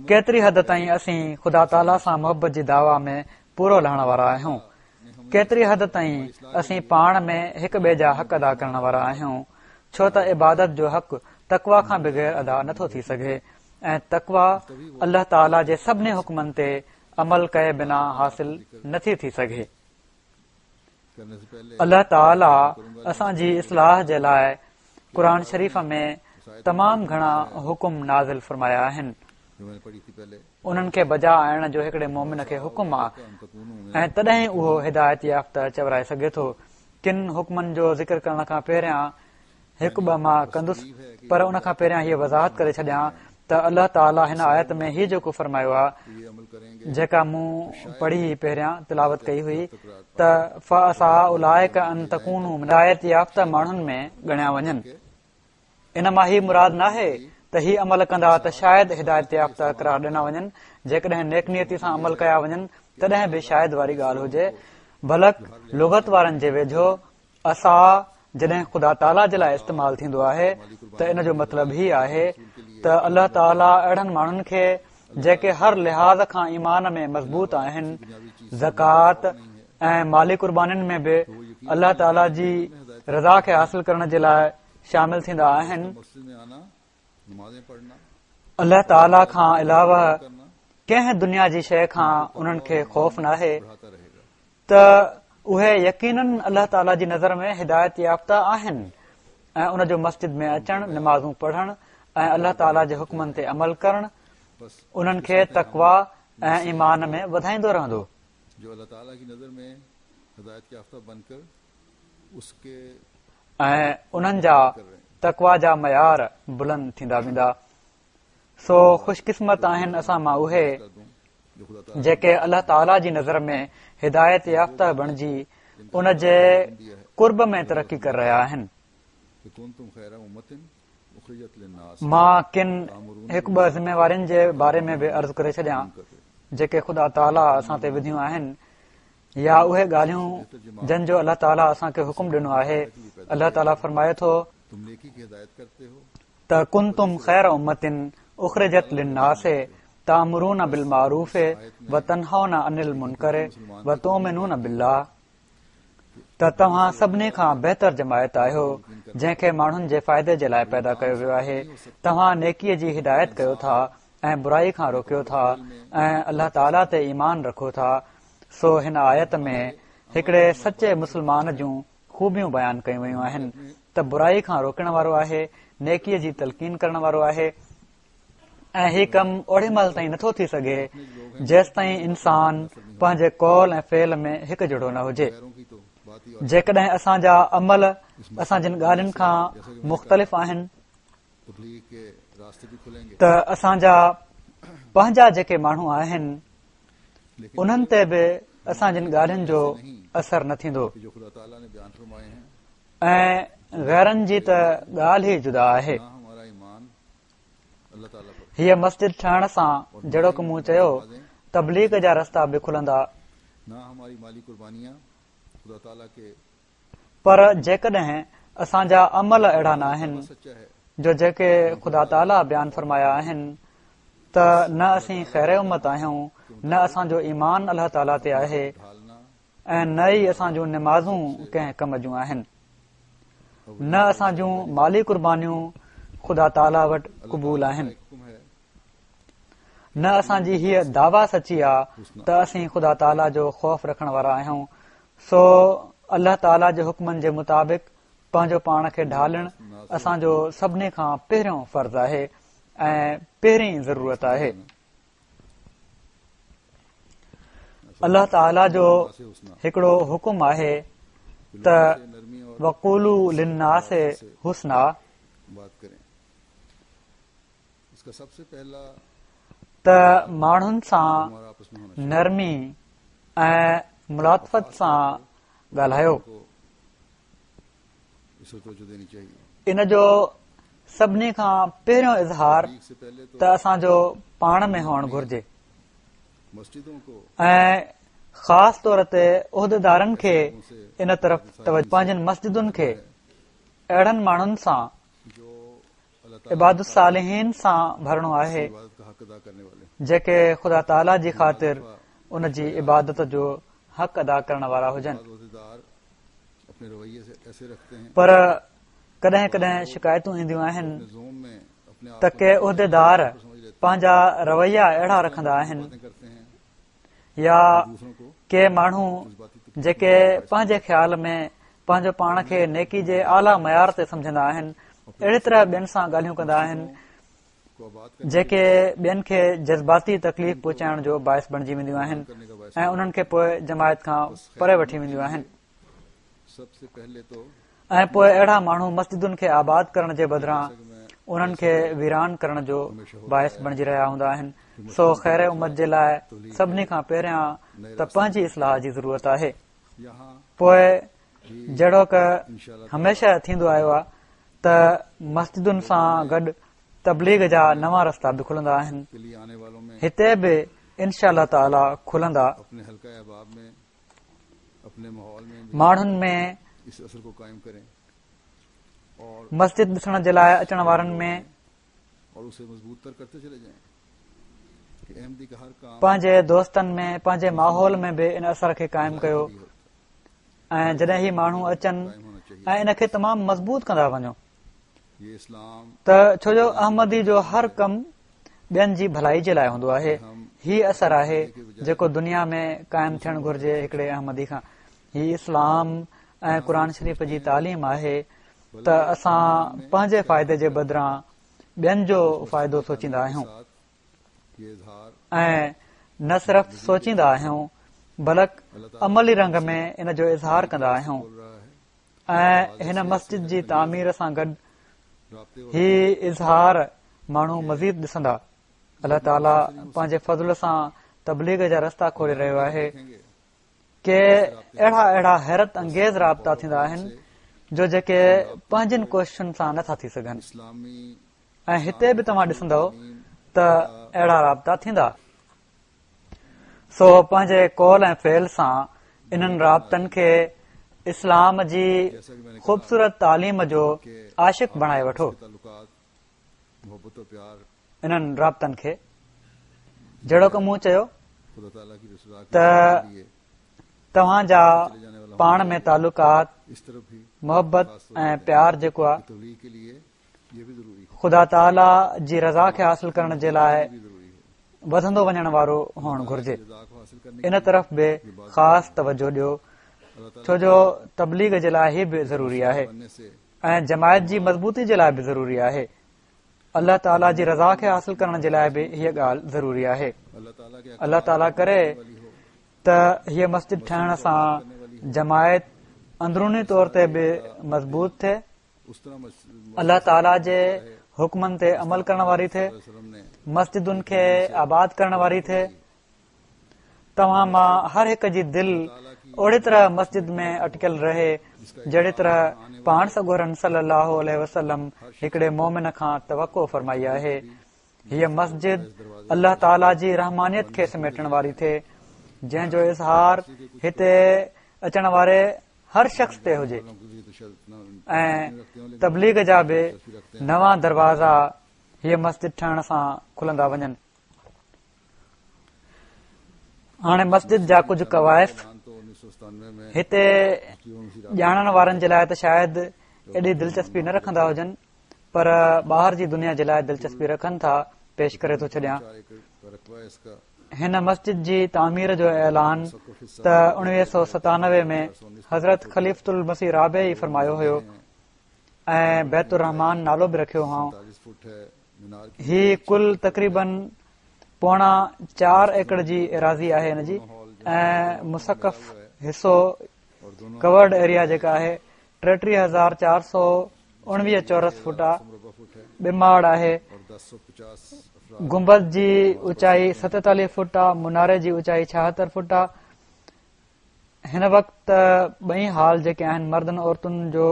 ڪيتري حد تائين اسين خدا تعاليٰ سان محبت جي دعويٰ ۾ پورو لهڻ وارا آهيون. ڪيتري حد تائين اسين پاڻ ۾ هڪ ٻئي جا حق ادا ڪرڻ وارا آهيون، ڇو ته عبادت جو حق تقويٰ کان بغير ادا نٿو ٿي سگهي ۽ تقويٰ الله تعاليٰ جي سڀني حڪمن تي عمل ڪئي بنا حاصل نٿي ٿي سگهي. الله تعاليٰ اسان جي اصلاح جي لاء قرآن شريف ۾ تمام گهڻا حڪم نازل فرمايا آهن. انهن کي بجا آڻڻ جو هڪڙي مؤمن کي حڪم آ ۽ تڏهن اهو هدايت يافته چورائي سگهي ٿو. ڪن حڪمن جو ذڪر ڪرڻ کان پهريان هڪ ٻه مان ڪندس پر ان کان پهريان هيء وضاحت ڪري ڇڏيان ته الله تعاليٰ هن آيت ۾ هي جيڪو فرمايو آهي جيڪا مون پڙهي پهريان تلاوت ڪئي هئي ته فعسيٰ اولئڪ ان تڪونوا هدايت يافته ماڻهن ۾ ڳڻيا وڃن. ان مان هي مراد ناهي ته هي عمل ڪندا ته شايد هدايت يافته قرار ڏنا وڃن، جيڪڏهن نيڪ نيتي سان عمل ڪيا وڃن تڏهن به شايد واري ڳالهه هجي، بلڪ لغت وارن جي ويجهو عسيٰ جڏهن خدا تعاليٰ جي لاء استعمال ٿيندو آهي ته ان جو مطلب هي آهي ته الله تعاليٰ اهڙن ماڻهن کي جيڪي هر لحاظ کان ايمان ۾ مضبوط آهن، زڪوات ۽ مالي قربانين ۾ به الله تعاليٰ جي رضا کي حاصل ڪرڻ جي لاء شامل ٿيندا آهن. الله تعاليٰ کان علاوه ڪنهن دنيا جي شيء کان انهن کي خوف ناهي ته اهي يقيناً الله تعاليٰ جي نظر ۾ هدايت يافته آهن ۽ ان جو مسجد ۾ اچڻ، نمازون پڙهڻ ۽ الله تعاليٰ جي حڪمن تي عمل ڪرڻ انهن کي تقويٰ ۽ ايمان ۾ وڌائيندو رهندو. ۽ انهن جا تقويٰ جا معيار بلند ٿيندا ويندا. سو خوش قسمت آهن اسان مان اهي جيڪي الله تعاليٰ جي نظر ۾ هدايت يافته بڻجي ان جي قرب ۾ ترقي ڪري رهيا آهن. مان ڪن هڪ ٻه ذميوارين جي باري ۾ به عرض ڪري ڇڏيان جيڪي خدا تعاليٰ اسان تي وڌيون آهن يا اهي ڳالهيون جن جو الله تعاليٰ اسان کي حڪم ڏنو آهي الله تعاليٰ فرمائي ٿو ته ڪنتم خير امة اخرجت للناس تامرون بالمعروف وتنهون عن المنڪر وتؤمنون بالله ته توهان سڀني کان بهتر جماعت آهيو جنهن کي ماڻهن جي فائدي جي لاء پيدا ڪيو ويو آهي توهان نيڪي جي هدايت ڪيو ٿا ۽ برائي کان روڪيو ٿا ۽ الله تعاليٰ تي ايمان رکو ٿا سو هن آيت ۾ هڪڙي سچي مسلمان جون خوبيون بيان ڪيون ويون آهن ته برائي کان روڪڻ وارو آهي، نيڪيء جي تلقين ڪرڻ وارو آهي ۽ هي ڪم اوڏي مهل تائين نٿو ٿي سگهي جيستائين انسان پنهنجي قول ۽ فعل ۾ هڪ جهڙو نه هجي. جيڪڏهن اسان جا عمل اسان جن ڳالهين کان مختلف آهن ته اسان جا پنهنجا جيڪي ماڻهو آهن انهن تي به اسان جن ڳالهين جو اثر نه ٿيندو ۽ غيرن جي ته ڳالهه ئي جدا آهي. هيء مسجد ٺهڻ سان جهڙوڪ مون چيو تبليغ جا رستا به کلندا. پر جيڪڏهن اسان جا عمل اهڙا ناهن جو جيڪي خدا تعاليٰ بيان فرمايا آهن ته نه اسين خير امت آهيون نه اسان جو ايمان الله تعاليٰ تي آهي ۽ نه ئي اسان جون نمازون ڪنهن ڪم جون آهن نه اسان جون مالي قربانيون خدا تعاليٰ وٽ قبول آهن نه اسان جي هيء دعويٰ سچي آ ته اسين خدا تعاليٰ جو خوف رکڻ وارا آهيون سو الله تعاليٰ جي حڪمن جي مطابق پنهنجو پاڻ کي ڍالڻ اسان جو سڀني کان پهريون فرض آهي ۽ پهرين ضرورت آهي. الله تعاليٰ جو هڪڙو حڪم آهي ته وقولوا للناس حسنا ته ماڻهن سان نرمي ۽ ملاطفت سان ڳالهايو. ان جو سڀني کان پهريون اظهار ته اسان جو پاڻ ۾ هئڻ گهرجي ۽ خاص طور تي عهديدارن کي ان طرف پنهنجن مسجدن کي اهڙن ماڻهن سان عباد الصالحين سان ڀرڻو آهي جيڪي خدا تعاليٰ جي خاطر ان جي عبادت جو حق ادا ڪرڻ وارا هجن پر ڪڏهن ڪڏهن شڪايتون اينديون آهن ته ڪي عهديدار پنهنجا رويا اهڙا رکندا آهن يا ڪي ماڻهو جيڪي پنهنجي خيال ۾ پنهنجو پاڻ کي نيڪي جي اعليٰ معيار تي سمجهندا آهن اهڙي طرح ٻين سان ڳالهيون ڪندا آهن جيڪي ٻين کي جذباتي تڪليف پهچائڻ جو باعث بڻجي وينديون آهن ۽ انهن کي پوء جماعت کان پري وٺي وينديون آهن. ۽ پوء اهڙا ماڻهو مسجدن کي آباد ڪرڻ جي بدران انهن کي ويران ڪرڻ جو باعث بڻجي رهيا هوندا آهن. سو خير امت جي لاء سڀني کان پهريان ته پنهنجي اصلاح جي ضرورت آهي. پوء جهڙوڪ هميشه ٿيندو آيو آهي ته مسجدن سان گڏ تبليغ جا نوان رستا به کلندا آهن. هتي به انشاء الله تعاليٰ کلندا. ماڻهن ۾ مسجد ڏسڻ جي لاء اچڻ وارن ۾ پنهنجي دوستن ۾ پنهنجي ماحول ۾ به ان اثر کي قائم ڪيو ۽ جڏهن هي ماڻهو اچن ۽ ان کي تمام مضبوط ڪندا وڃو ته ڇو جو احمدي جو هر ڪم ٻين جي ڀلائي جي لاء هوندو آهي. هي اثر آهي جيڪو دنيا ۾ قائم ٿيڻ گهرجي هڪڙي احمدي کان. هي اسلام ۽ قرآن شريف جي تعليم آهي ته اسان پنهنجي فائدي جي بدران ٻين جو فائدو سوچيندا آهيون ۽ نه صرف سوچيندا آهيون بلڪ عملي رنگ ۾ ان جو اظهار ڪندا آهيون. ۽ هن مسجد جي تعمير سان گڏ هي اظهار ماڻهو مزيد ڏسندا. الله تعاليٰ پنهنجي فضل سان تبليغ جا رستا کولي رهيو آهي. ڪي اهڙا اهڙا حيرت انگيز رابطا ٿيندا آهن جو جيڪي پنهنجين ڪوششن سان نٿا ٿي سگهن ۽ هتي به توهان ڏسندؤ ته اهڙا رابطا ٿيندا. سو پنهنجي قول ۽ فعل سان انهن رابطن کي اسلام جي خوبصورت تعليم جو عاشق بڻائي وٺو. انهن رابطن کي جهڙوڪ مون چيو ته توهان جا پاڻ ۾ تعلقات محبت ۽ پيار جيڪو آهي خدا تعاليٰ جي رضا کي حاصل ڪرڻ جي لاء وڌندو وڃڻ وارو هئڻ گهرجي. ان طرف به خاص توجه ڏيو ڇو جو تبليغ جي لاء هي به ضروري آهي ۽ جماعت جي مضبوطي جي لاء به ضروري آهي. الله تعاليٰ جي رضا کي حاصل ڪرڻ جي لاء به هيء ڳالهه ضروري آهي. الله تعاليٰ ڪري ته هيء مسجد ٺهڻ سان جماعت اندروني طور تي به مضبوط ٿئي. الله تعاليٰ جي حڪمن تي عمل ڪرڻ واري ٿئي، مسجدن کي آباد ڪرڻ واري ٿئي. توهان مان هر هڪ جي دل اهڙي طرح مسجد ۾ اٽڪيل رهي جهڙي طرح پاڻ سڳورن صلي الله عليه وسلم هڪڙي مومن کان توقع فرمائي آهي. هيء مسجد الله تعاليٰ جي رحمانيت کي سميٽڻ واري ٿئي جنهن جو اظهار هتي اچڻ واري هر شخص تي هجي ۽ تبليغ جا به نوان دروازا هيء مسجد ٺهڻ سان کلندا وڃن. هاڻي مسجد جا ڪجهه ڪوائف هتي ڄاڻڻ وارن جي لاء ته شايد ايڏي دلچسپي نه رکندا هجن پر ٻاهر جي دنيا جي لاء دلچسپي رکن ٿا پيش ڪري ٿو ڇڏيان. هن مسجد جي تعمير جو اعلان ته 1997 ۾ حضرت خليفة المسيح رابع ئي فرمايو هيو ۽ بيت الرحمان نالو به رکيو هئائون. هي ڪل تقريبن پوڻا چار ايڪڙ جي ايراضي آهي هن جي ۽ مسقف حصو ڪورڊ ايريا جيڪا آهي 33419 چورس فوٽ آ، ٻه ماڙ آهي، گنبذ جي اوچائي 47 فوٽ آ، مناري جي اوچائي 76 فوٽ آ. هن وقت ته ٻئي هال جيڪي آهن مردن عورتن جو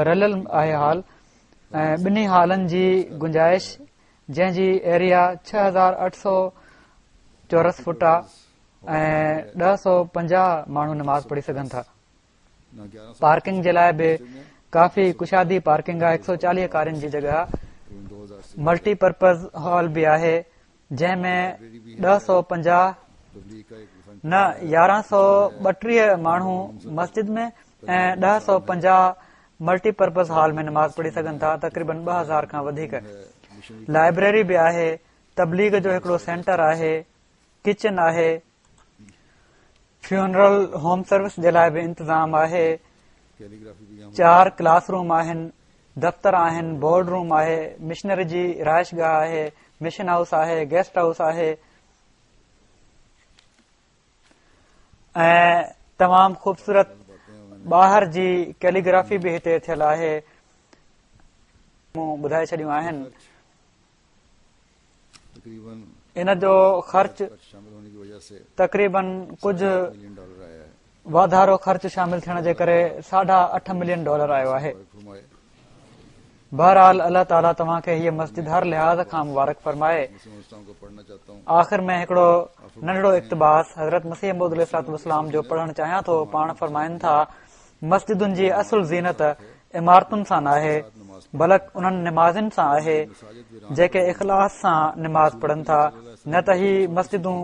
رليل آهي هال ۽ ٻنهي هالن جي گنجائش جنهن جي ايريا 6800 چورس فوٽ آ ۽ 1050 ماڻهو نماز پڙهي سگهن ٿا. پارڪنگ جي لاء به ڪافي ڪشادي پارڪنگ آهي 140 ڪارين جي جڳهه ملٽي پرپز هال به آهي جنهن ۾ 1050 نه 1132 ماڻهو مسجد ۾ ۽ 1050 ملٽي پرپز هال ۾ نماز پڙهي سگهن ٿا تقريبن 2000 کان وڌيڪ لائبريري به آهي تبليغ جو هڪڙو سينٽر آهي ڪچن آهي فيونرل هوم سروس جي لاء به انتظام آهي چار ڪلاس روم آهن دفتر آهن بورڊ روم آهي مشنري جي رهائش گاهه آهي مشن هائوس آهي گيسٽ هائوس آهي ۽ تمام خوبصورت ٻاهر جي ڪيليگرافي به هتي ٿيل آهي. مون ٻڌائي ڇڏيون آهن. ان جو خرچ تقريبن ڪجهه واڌارو خرچ شامل ٿيڻ جي ڪري ساڍا اٺ ملين ڊالر آيو آهي. بهرحال الله تعالي توهان کي هيء مسجد هر لحاظ کان مبارڪ فرمائي. آخر ۾ هڪڙو ننڍڙو اقتباس حضرت مسيح موعود عليه الصلوة والسلام جو پڙهڻ چاهيان ٿو. پاڻ فرمائن ٿا، مسجدن جي اصل زينت عمارتن سان ناهي بلڪ انهن نمازين سان آهي جيڪي اخلاص سان نماز پڙهن ٿا نه ته هي مسجدون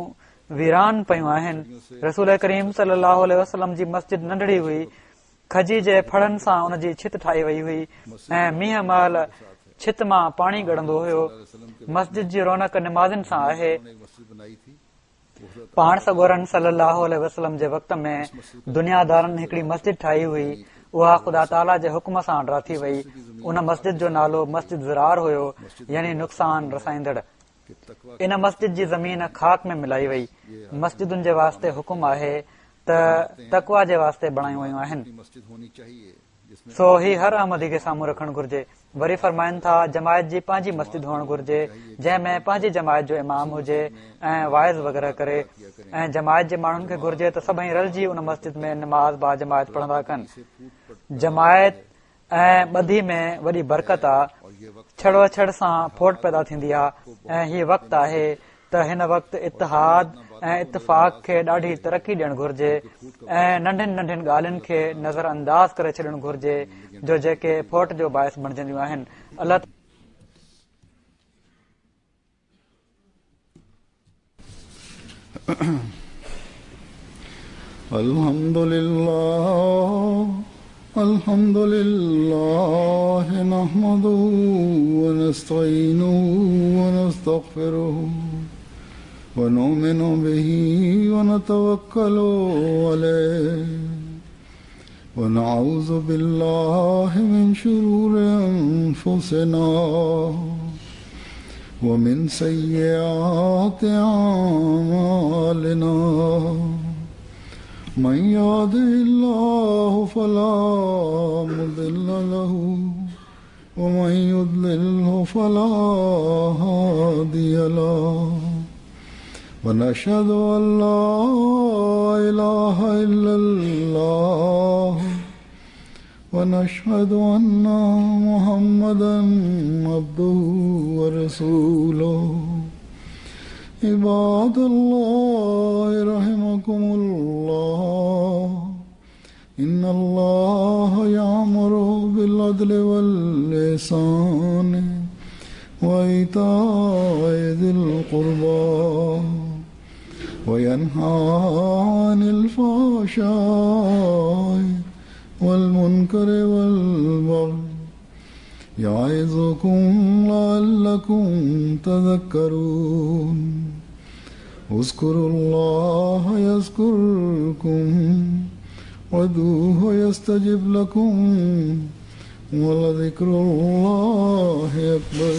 ويران پيون آهن. رسول ڪريم صلي الله عليه وسلم جي مسجد ننڍڙي هئي کجي جي ڦڙن سان ان جي ڇت ٺاهي وئي هئي ۽ مينهن مهل ڇت مان پاڻي ڳڙندو هيو. مسجد جي رونق نمازين سان آهي. پاڻ سڳورن صلي الله عليه وسلم جي وقت ۾ دنيا دارن هڪڙي مسجد ٺاهي هئي اها خدا تعاليٰ جي حڪم سان ڊاٿي وئي. ان مسجد جو نالو مسجد ضرار هيو يعني نقصان رسائيندڙ. ان مسجد جي زمين خاڪ ۾ ملائي وئي. مسجدن جي واسطي حڪم آهي ته تقويٰ جي واسطي بڻايون ويون آهن. سو هي هر احمدي کي سامهون رکڻ گهرجي. وري فرمائن ٿا جماعت جي پنهنجي مسجد هئڻ گهرجي جنهن ۾ پنهنجي جماعت جو امام هجي ۽ واعظ وغيره ڪري ۽ جماعت جي ماڻهن کي گهرجي ته سڀئي رلجي ان مسجد ۾ نماز باجماعت پڙهندا ڪن. جماعت ۽ ٻڌي ۾ وڏي برڪت آ، ڇڙوڇڙ سان ڦوٽ پيدا ٿيندي آ ۽ هي وقت آهي ته هن وقت اتحاد ۽ اتفاق کي ڏاڍي ترقي ڏيڻ گهرجي ۽ ننڍين ننڍين ڳالهين کي نظر انداز ڪري ڇڏڻ گهرجي جو جيڪي ڦوٽ جو باعث بڻجنديون آهن. الله. الحمد لله الحمد لله نحمده ونستعينه ونستغفره ونؤمن به ونتوكل عليه ونعوذ بالله من شرور أنفسنا ومن سيئات أعمالنا من يهده الله فلا مضل له ومن يضلله فلا هادي له ونشهد أن لا إله إلا الله ونشهد أن محمدا عبده ورسوله عباد الله رحمكم الله إن الله يأمر بالعدل والإحسان وإيتاء ذي القربى وينهى عن الفحشاء والمنكر والبغي يعظكم لعلكم تذكرون اذكروا الله يذكركم وادعوه يستجب لكم ولذكر الله أكبر.